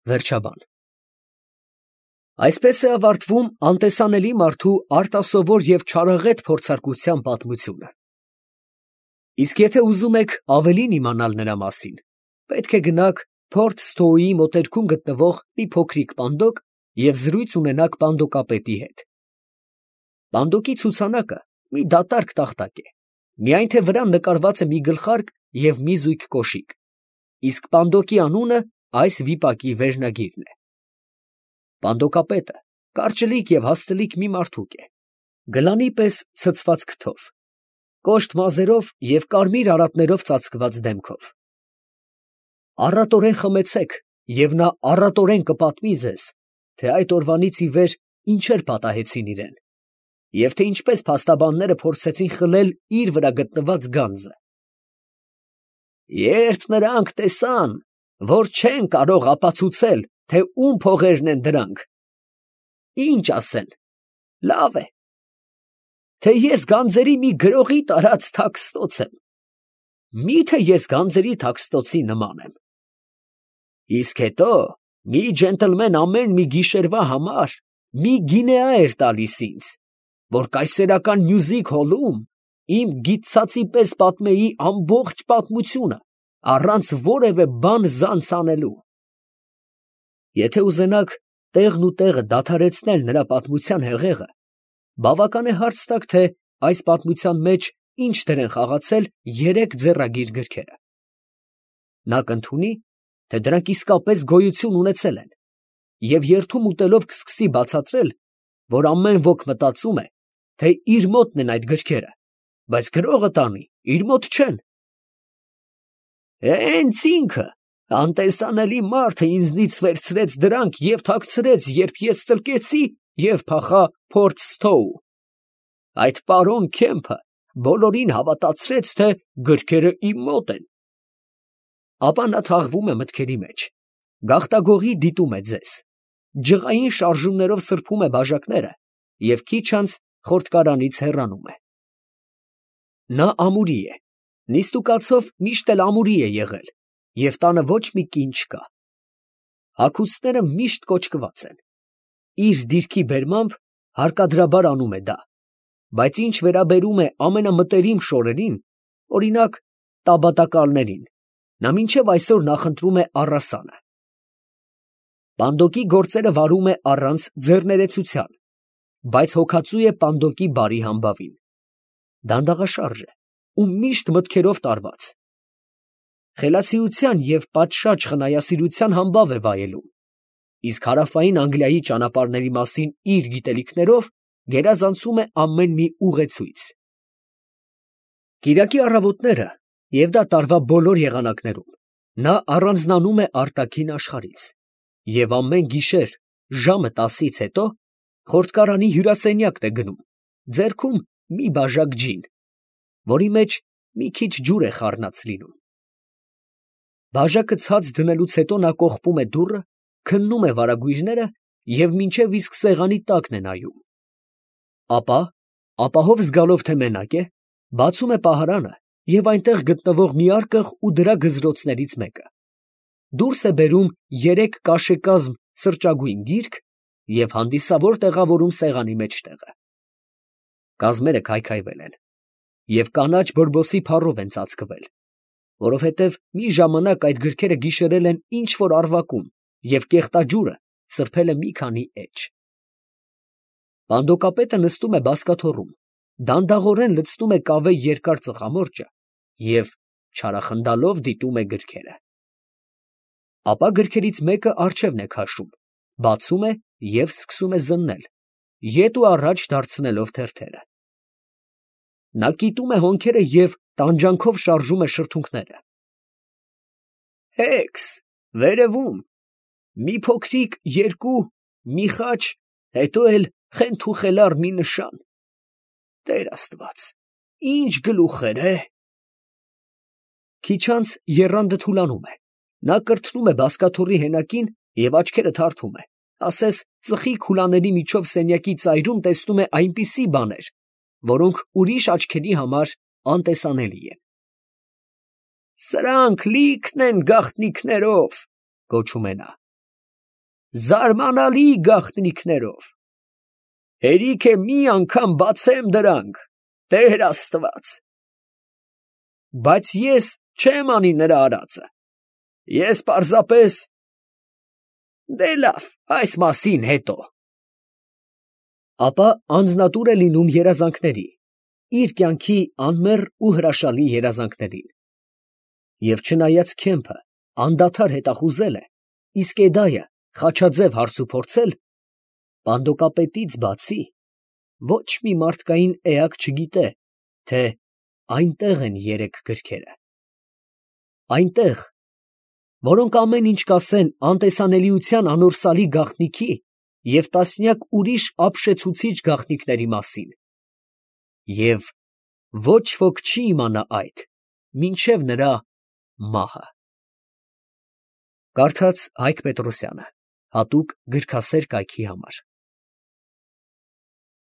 Վերջաբան։ Այսպես է ավարտվում անտեսանելի մարդու արտասովոր և չարաղետ փորձարկության պատմությունը։ Իսկ եթե ուզում եք ավելին իմանալ նրա մասին, պետք է գնաք Փորթ Սթոուի մոտերքում գտնվող մի փոքրիկ պանդոկ և զրույց ունենաք պանդոկապետի հետ։ Պանդոկի ցուցանակը մի դատարկ տախտակ է, միայն թե վրան նկարված է մի գլխարկ և մի զույգ կոշիկ, իսկ պանդոկի անունը այս վիպակի վերնագիրն է։ Պանդոկապետը կարճլիկ և հաստլիկ մի մարդուկ է, գլանի պես ցցված քթով, կոշտ մազերով և կարմիր արատներով ծածկված դեմքով։ Առատորեն խմեցեք, և նա առատորեն կպատմի ձեզ, թե այդ օրվանից ի վեր ինչեր պատահեցին իրան, և թե ինչպես փաստաբանները փորձեցին խլել իր վրա գտնված գանձը։ Երբ նրանք տեսան, որ չեն կարող ապացուցել, թե ում փողերն են դրանք, ի՞նչ ասեն, լավ է, թե ես գանձերի մի գրողի տարած թաքստոց եմ, մի՞թե ես գանձերի թաքստոցի նման եմ։ Իսկ հետո մի ջենտլմեն ամեն մի գիշերվա համար մի գինեա էր տալիս ինձ, որ կայսերական մյուզիք հոլում իմ գիտցածի պես պատմեի ամբողջ պատմությունը, առանց որևէ բան զանց անելու։ Եթե ուզենաք տեղն ու տեղը դադարեցնել նրա պատմության հեղեղը, բավական է հարց տաք, թե այս պատմության մեջ ինչ դեր են խաղացել երեք ձեռագիր գրքերը։ Նա կընդունի, թե դրանք իսկապես գոյություն ունեցել են, և երդում ուտելով կսկսի բացատրել, որ ամեն ոք մտածում է, թե իր մոտն են այդ գրքերը, բայց գրողը տանի իր մոտ չեն։ Հենց ինքը, անտեսանելի մարդը ինձնից վերցրեց դրանք և թաքցրեց, երբ ես ծլկեցի և փախա Փորթ Սթոու։ Այդ պարոն Քեմփը բոլորին հավատացրեց, թե գրքերը իմ մոտ են։ Ապա նա թաղվում է մտքերի մեջ, գաղտագողի դիտում է ձեզ, ջղային շարժումներով սրբում է բաժակները և քիչ անց խորտկարանից հեռանում է։ Նա ամուրի է, նիստուկացով միշտ էլ ամուրի է եղել, և տանը ոչ մի կին չկա։ Հագուստները միշտ կոճկված են։ Իր դիրքի բերմամբ հարկադրաբար անում է դա, բայց ինչ վերաբերում է ամենամտերիմ շորերին, օրինակ տաբատակալներին, նա մինչև այսօր նախընտրում է առասանը։ Պանդոկի գործերը վարում է առանց ձեռներեցության, բայց հոգածու է պանդոկի բարի համբավին։ Դանդաղաշարժ է ու միշտ մտքերով տարված։ Խելացիության և պատշաճ խնայասիրության համբավ է վայելում, իսկ հարավային Անգլիայի ճանապարհների մասին իր գիտելիքներով գերազանցում է ամեն մի ուղեցույց։ Կիրակի առավոտները, և դա տարվա բոլոր եղանակներում, նա առանձնանում է արտաքին աշխարհից և ամեն գիշեր ժամը 10-ից հետո խորտկարանի հյուրասենյակն է գնում, ձեռքում մի բաժակ ջին, որի մեջ մի քիչ ջուր է խառնած լինում։ Բաժակը ցած դնելուց հետո նա կողպում է դուռը, քննում է վարագույրները և մինչև իսկ սեղանի տակն է նայում։ Ապա, ապահով զգալով, թե մենակ է, բացում է պահարանը և այնտեղ գտնվող մի արկղ ու դրա գզրոցներից մեկը, դուրս է բերում 3 կաշեկազմ սրճագույն գիրք և հանդիսավոր տեղավորում սեղանի մեջտեղը։ Կազմերը քայքայվել են և կանաչ բորբոսի փառով են ծածկվել, որովհետև մի ժամանակ այդ գրքերը գիշերել են ինչ֊որ առվակում և կեղտաջուրը սրբել է մի քանի էջ։ Պանդոկապետը նստում է բազկաթոռում, դանդաղորեն լցնում է կավե երկար ծխամորճը և չարախնդալով դիտում է գրքերը։ Ապա գրքերից մեկը առջևն է քաշում, բացում է և սկսում է զննել, ետ ու առաջ դարձնելով թերթերը։ Նա կիտում է հոնքերը և տանջանքով շարժում է շրթունքները։ Հեքս, վերևում, մի փոքրիկ երկու, մի խաչ, հետո էլ խենթուխելառ մի նշան… Տեր աստված, ի՜նչ գլուխներ… Քիչ անց եռանդը թուլանում է, նա կրթնում է բազկաթոռի հենակին և աչքերը թարթում է, ասես ծխի քուլաների միջով սենյակի ծայրում տեսնում է այնպիսի բաներ, որոնք ուրիշ աչքերի համար անտեսանելի են։ «Սրանք լի՜քն են գաղտնիքներով», ֊ գոչում է նա։ զարմանալի գաղտնիքներով։ Հերիք է մի անգամ բացեմ դրանք, Տեր Աստված։ Բայց ես չեմ անի նրա արածը, ես պարզապես… Դե լավ, այս մասին հետո։ Ապա անձնատուր է լինում երազանքների, իր կյանքի անմեռ ու հրաշալի երազանքներին։ Եվ չնայած Քեմփը անդադար հետախուզել է, իսկ Էդայը խաչաձև հարցուփորձել, բանդոկապետից բացի ոչ մի մարդկային էակ չգիտե, թե այնտեղ են երեք գրքերը. այնտեղ, որոնք ամեն ինչ կասեն անտեսանելիության անորսալի գաղտնիքի և տասնյակ ուրիշ ապշեցուցիչ գաղտնիքների մասին, և ոչ ոք չի իմանա այդ, մինչև նրա մահը։ Կարդաց Հայկ Պետրոսյանը, հատուկ գրքասեր կայքի համար։